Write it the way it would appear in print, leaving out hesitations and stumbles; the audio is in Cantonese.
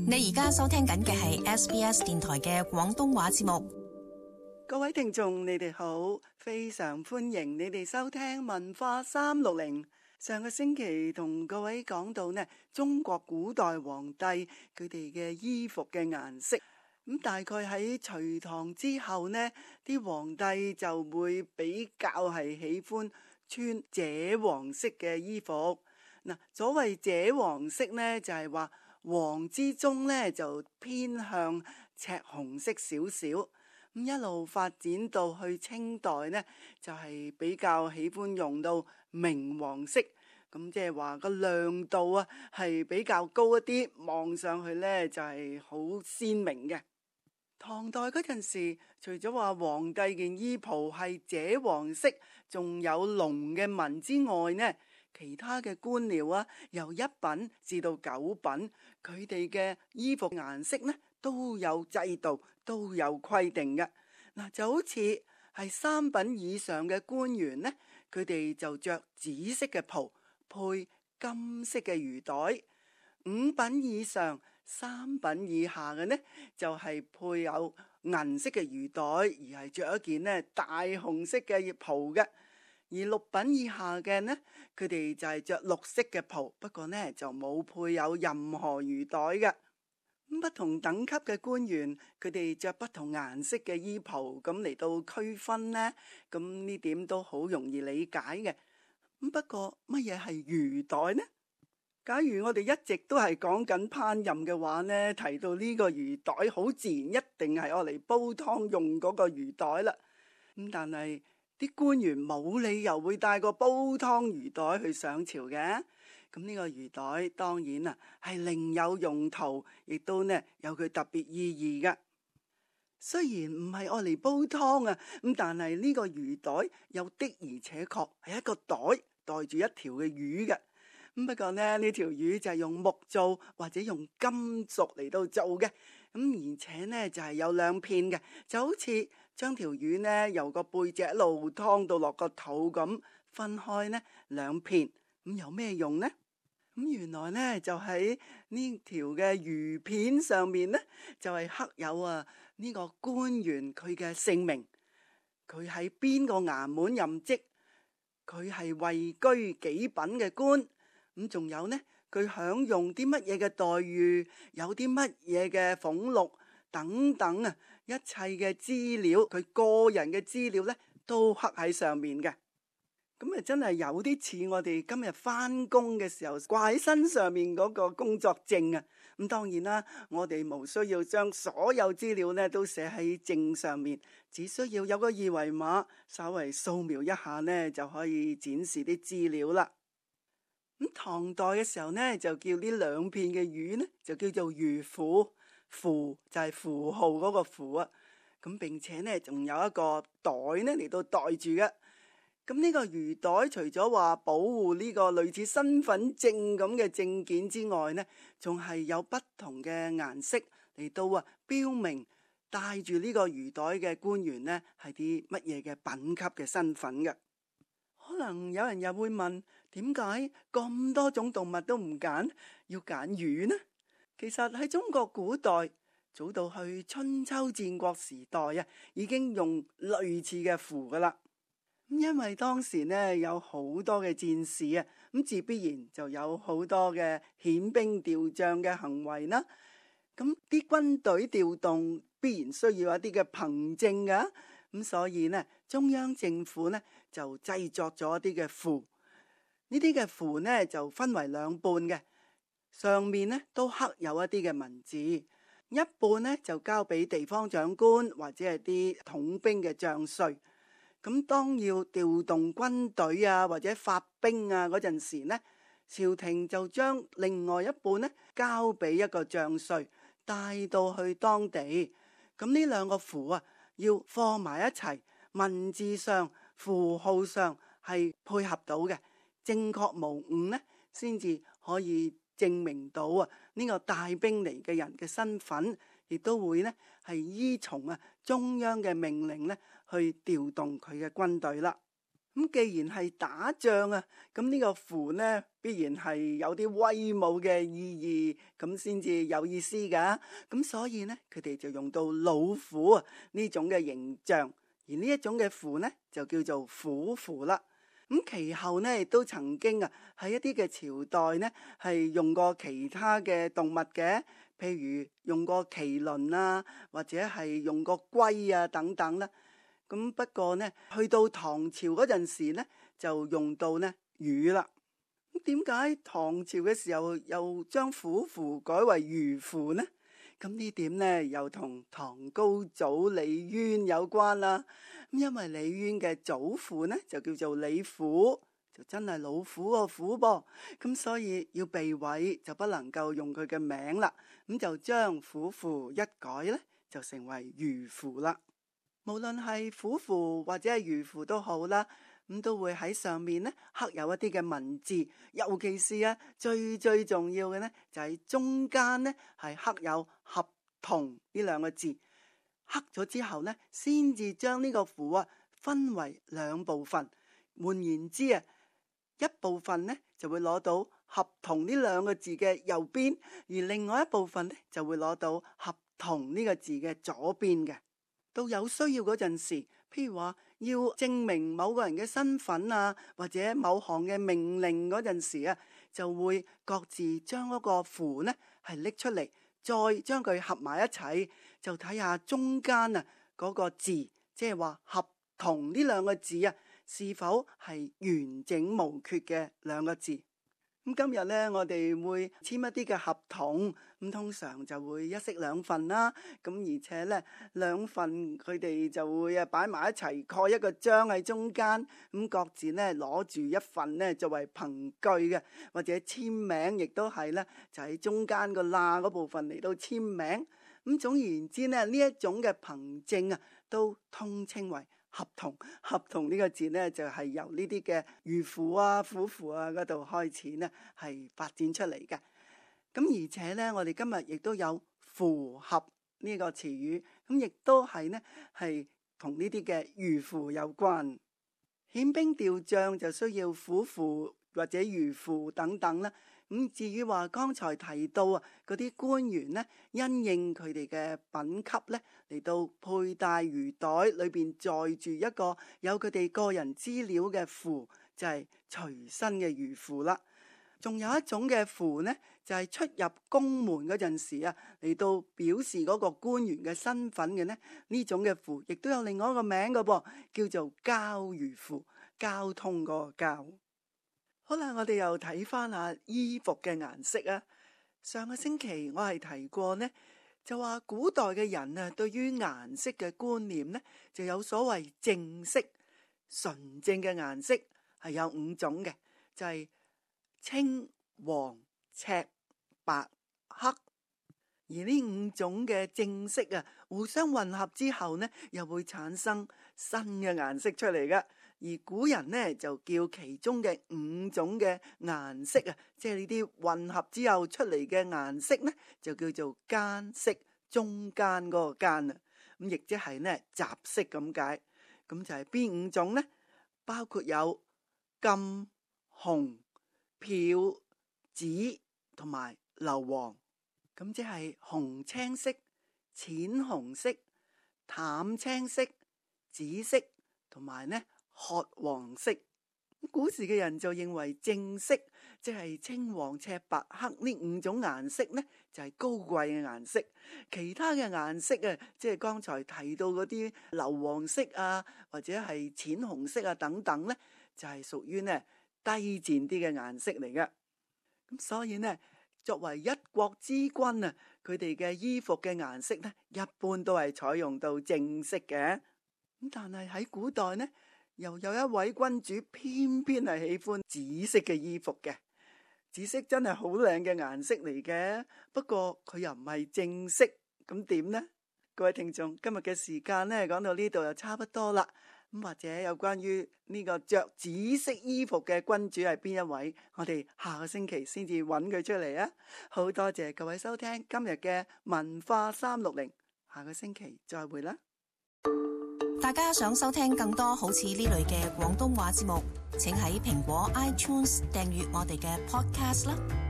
你而家收聽緊嘅係 SBS 電台嘅廣東話節目。各位聽眾，你哋好，非常歡迎你哋收聽文化360。上個星期同各位講到呢，中國古代皇帝佢哋嘅衣服嘅顏色。咁大概喺隋唐之後呢，啲皇帝就會比較係喜歡穿赭黃色嘅衣服。嗱，所謂赭黃色呢，就係話黃之中呢就偏向赤紅色少少。咁一路發展到去清代呢，就係比較喜歡用到明黃色。咁即係話個亮度啊係比較高一啲，望上去呢就係好鮮明嘅。唐代嗰陣時，除咗話皇帝件衣袍係赭黃色，仲有龍嘅紋之外呢，其他嘅官僚啊，由1品至到9品，佢哋嘅衣服顏色呢都有制度，都有規定嘅。嗱，就好似係3品以上嘅官員呢，佢哋就着紫色嘅袍，配金色嘅魚袋。5品以上、3品以下嘅呢，就係配有銀色嘅魚袋，而係着一件呢大紅色嘅袍嘅。而6品以下嘅呢，佢哋就係着綠色嘅袍，不過呢就冇配有任何魚袋嘅。不同等級嘅官員，佢哋着不同顏色嘅衣袍，咁嚟到區分呢，咁呢點都好容易理解嘅。不過乜嘢係魚袋呢？假如我哋一直都係講緊烹飪嘅話呢，提到呢個魚袋，好自然一定係我嚟煲湯用嗰個魚袋啦。咁但係啲官員冇理由會帶個煲湯魚袋去上朝嘅。咁呢個魚袋當然啊係另有用途，亦都呢有佢特別意義嘅。雖然唔係愛嚟煲湯啊，咁但係呢個魚袋又的而且確係一個袋，袋住一條嘅魚嘅。不過呢條魚就係用木做或者用金屬嚟到做嘅。而且呢就係有2片嘅，就好似將條魚呢由個背脊一路劏到落個肚咁，分開呢2片。咁有咩用呢？原來呢就喺呢條嘅魚片上面呢，就係刻有呢個官員佢嘅姓名，佢喺邊個衙門任職，佢係位居幾品嘅官。咁仲有呢，佢享用啲乜嘢嘅待遇，有啲乜嘢嘅俸祿等等啊，一切嘅資料，佢個人嘅資料呢，都刻喺上面嘅。咁真係有啲似我哋今日返工嘅時候掛喺身上面嗰個工作證啊。咁當然啦，我哋無需要將所有資料呢都寫喺證上面，只需要有個2維碼，稍微掃描一下呢，就可以展示啲資料啦。咁唐代嘅時候呢，就叫呢2片嘅魚呢，就叫做魚符，符就係符號嗰個符啊。咁並且呢，仲有一個袋呢嚟到袋住嘅。咁呢個魚袋除咗話保護呢個類似身份證咁嘅證件之外呢，仲係有不同嘅顏色嚟到標明帶住呢個魚袋嘅官員呢係啲乜嘢嘅品級嘅身份嘅。可能有人又會問，點解咁多種動物都唔揀，要揀魚呢？其實喺中國古代，早到去春秋戰國時代啊，已經用類似嘅符噶啦。因為當時呢有好多嘅戰士啊，咁自必然就有好多嘅遣兵調將嘅行為啦。咁啲軍隊調動必然需要一啲嘅憑證噶，咁所以呢中央政府呢就製作咗一啲嘅符。呢啲嘅符呢就分為2半嘅，上面呢都刻有一啲嘅文字，一半呢就交俾地方長官或者係啲統兵嘅將帥。咁當要調動軍隊啊或者發兵啊嗰陣時呢，朝廷就將另外一半呢交俾一個將帥帶到去當地。咁呢2個符啊要放埋一齊，文字上符號上係配合到嘅，正確無誤呢，先至可以證明到呢個帶兵嚟嘅人嘅身份，亦都會呢係依從中央嘅命令呢去調動佢嘅軍隊啦。咁既然係打仗啊，咁呢個符呢必然係有啲威武嘅意義，咁先至有意思噶。咁所以呢，佢哋就用到老虎啊呢種嘅形象，而呢一種嘅符呢就叫做虎符啦。咁其後呢亦都曾經啊喺一啲嘅朝代呢係用過其他嘅動物嘅，譬如用過麒麟啊，或者係用過龜啊等等啦。咁不過呢，去到唐朝嗰陣時呢，就用到呢魚啦。咁點解唐朝嘅時候又將虎符改為魚符呢？咁呢點呢又同唐高祖李淵有關啦。咁因為李淵嘅祖父呢就叫做李虎，就真係老虎個虎噃。咁所以要避諱就不能夠用佢嘅名啦。咁就將虎符一改呢，就成為魚符啦。無論係虎符或者係魚符都好啦，咁都會喺上面呢刻有一啲嘅文字，尤其是最重要嘅呢，就係中間呢係刻有合同呢兩個字，刻咗之後呢，先至將呢個符分為兩部分。換言之一部分呢就會攞到合同呢兩個字嘅右邊，而另外一部分呢就會攞到合同呢個字嘅左邊嘅。到有需要嗰陣時，譬如話要證明某個人嘅身份啊，或者某項嘅命令嗰陣時就會各自將嗰個符呢係拎出嚟，再將佢合埋一齊，就睇下中間嗰個字，即係話合同呢兩個字是否係完整無缺嘅兩個字。咁今日呢，我哋會簽一啲嘅合同，咁通常就會一式兩份啦。咁而且呢，兩份佢哋就會擺埋一齊，蓋一個章喺中間，咁各自呢攞住一份呢作為憑據嘅，或者簽名，亦都係呢就喺中間個罅嗰部分嚟到簽名。咁總而言之呢，呢一種嘅憑證都通稱為合同。合同呢個字呢，就係由呢啲嘅魚符虎符嗰度開始呢係發展出嚟嘅。咁而且呢，我哋今日亦都有符合呢個詞語，咁亦都係呢係同呢啲嘅魚符有關。遣兵調將就需要虎符或者魚符等等啦。咁至於話剛才提到嗰啲官員呢，因應佢哋嘅品級呢，嚟到佩戴魚袋裏邊載住一個有佢哋個人資料嘅符，就係隨身嘅魚符啦。仲有一種嘅符呢，就係出入宮門嗰陣時嚟到表示嗰個官員嘅身份嘅呢，呢種嘅符亦都有另外一個名嘅噃，叫做交魚符，交通嗰個交。好啦，我哋又睇翻下衣服嘅顏色啊。上個星期我係提過呢，就話古代嘅人對於顏色嘅觀念呢，就有所謂正色，純正嘅顏色係有5種嘅，就係青、黃、赤、白、黑。而呢5種嘅正色互相混合之後呢，又會產生新嘅顏色出嚟嘅。而古人呢，就叫其中嘅5種嘅顏色即係呢啲混合之後出嚟嘅顏色呢，就叫做間色，中間嗰個間咁亦即係呢雜色咁解。咁就係邊5種呢？包括有金、紅、漂、紫同埋硫黃。咁即係紅青色、淺紅色、淡青色、紫色同埋呢褐黃色。古時嘅人就認為正色即係青黃赤白黑呢5種顏色呢，就係高貴嘅顏色。其他嘅顏色即係剛才提到嗰啲硫黃色或者係淺紅色等等呢，就係屬於呢低賤啲嘅顏色嚟嘅。咁所以呢，作為一國之君佢哋嘅衣服嘅顏色呢，一般都係採用到正色嘅。咁但係喺古代呢，又有一位君主偏偏係喜歡紫色嘅衣服嘅。紫色真係好靚嘅顏色嚟嘅，不過佢又唔係正色，咁點呢？各位聽眾，今日嘅時間呢，講到呢度就差不多啦。咁或者有關於呢個着紫色衣服嘅君主係邊一位，我哋下個星期先至揾佢出嚟啊！好多謝各位收聽今日嘅文化360，下個星期再會啦。大家想收聽更多好似呢類嘅廣東話節目，請喺蘋果 iTunes 訂閱我哋嘅 podcast 啦。